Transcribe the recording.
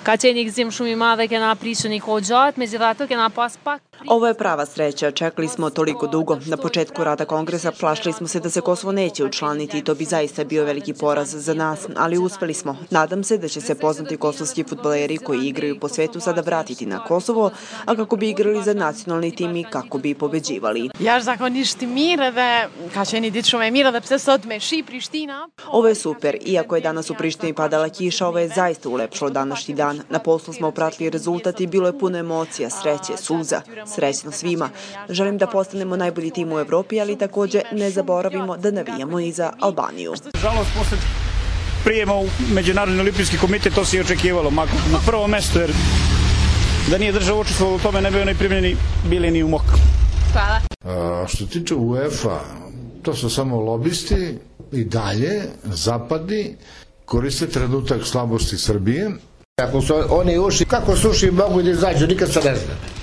Ka qenë i gëzim shumë i madh, kena prishur një kohë gjatë, međutim kena pas pak. Ovo je prava sreća, čekali smo toliko dugo. Na početku rada kongresa plašili smo se da se Kosovo neće učlaniti i to bi zaista bio veliki poraz za nas, ali uspeli smo. Nadam se da će se poznati kosovski fudbaleri koji igraju po svetu sada vratiti na Kosovo, a kako bi igrali za nacionalni tim i kako bi pobeđivali. Jashtëzakonisht mirë dhe ka qenë ditë shumë e mirë edhe pse sot me shi Prishtina. Ovo je super, iako je danas u Prištini padala kiša, ovo je zaista ulepšalo današnji dan. Na poslu smo pratili rezultat i bilo je puno emocija, sreće, suza. Srećno svima. Želim da postanemo najbolji tim u Evropi, ali takođe ne zaboravimo da navijamo i za Albaniju. Žalost, posle prijema u Međunarodni olimpijski komitet to se i očekivalo, na prvo mesto, jer da nije država učestvovala u tome ne bi oni primljeni bili ni u mok. Hvala. Što tiče UEFA, to su samo lobisti i dalje zapadni koriste trenutak slabosti Srbije. Ako su oni ušli, kako su ušli mogu da izađu, nikad se ne zna.